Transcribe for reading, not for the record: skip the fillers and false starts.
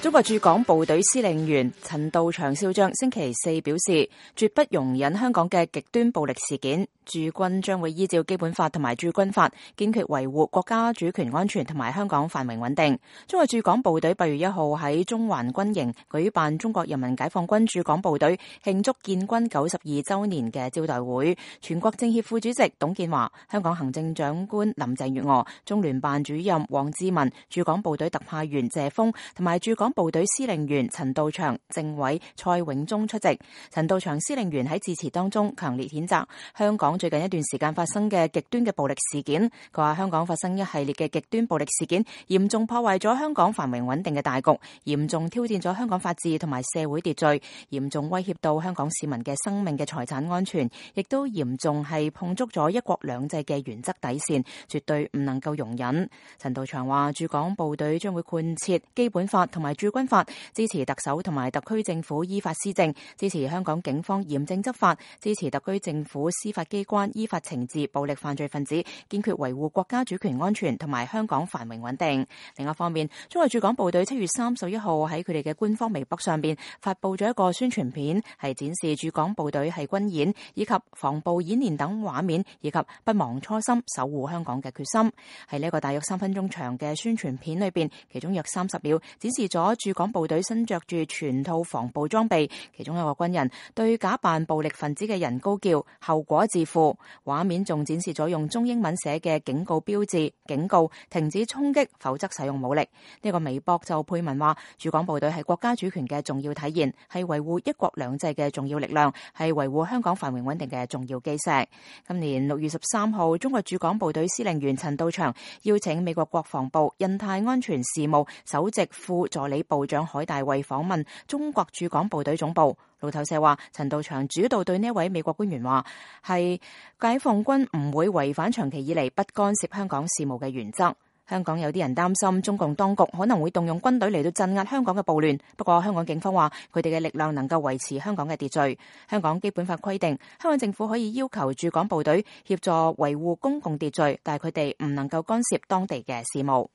中國駐港部隊司令員陳道祥少將星期四表示，絕不容忍香港嘅極端暴力事件，駐軍將會依照基本法同埋駐軍法，堅決維護國家主權安全同埋香港繁榮穩定。中國駐港部隊8月1號喺中環軍營舉辦中國人民解放軍駐港部隊慶祝建軍92週年嘅招待會，全國政協副主席董建華、香港行政長官林鄭月娥、中聯辦主任王志民、駐港部隊特派員謝鋒同埋駐港部隊司令員陳道祥、政委蔡永忠出席。陳道祥司令員喺致辭當中強烈譴責香港最近一段時間發生嘅極端嘅暴力事件。佢話香港發生一系列嘅極端暴力事件，嚴重破壞咗香港繁榮穩定嘅大局，嚴重挑戰咗香港法治同埋社會秩序，嚴重威脅到香港市民嘅生命嘅財產安全，亦都嚴重係碰觸咗一國兩制嘅原則底線，絕對唔能夠容忍。陳道祥話駐港部隊將會貫徹基本法同埋駐軍法，支持特首同埋特區政府依法施政，支持香港警方嚴正執法，支持特區政府司法機關依法懲治暴力犯罪分子，堅決維護國家主權安全同埋香港繁榮穩定。另一方面，中國駐港部隊7月31號喺佢哋嘅官方微博上邊發佈咗一個宣傳片，係展示駐港部隊係軍演以及防暴演練等畫面，以及不忘初心守護香港嘅決心。喺呢個大約3分鐘長嘅宣傳片裏邊，其中約30秒展示咗駐港部隊身着住全套防暴裝備，其中一個軍人對假扮暴力分子嘅人高叫後果自負。畫面仲展示咗用中英文寫嘅警告標誌，警告停止衝擊，否則使用武力。呢個微博就配文話，駐港部隊係國家主權嘅重要體現，係維護一國兩制嘅重要力量，係維護香港繁榮穩定嘅重要基石。今年6月13號，中國駐港部隊司令員陳道祥邀請美國國防部印太安全事務首席副助理部長海大衛訪問中國駐港部隊總部。路透社話，陳道祥主導對呢位美國官員話，係解放軍唔會違反長期以嚟不干涉香港事務嘅原則。香港有啲人擔心中共當局可能會動用軍隊嚟到鎮壓香港嘅暴亂，不過香港警方話佢哋嘅力量能夠維持香港嘅秩序。香港基本法規定，香港政府可以要求駐港部隊協助維護公共秩序，但係佢哋唔能夠干涉當地嘅事務。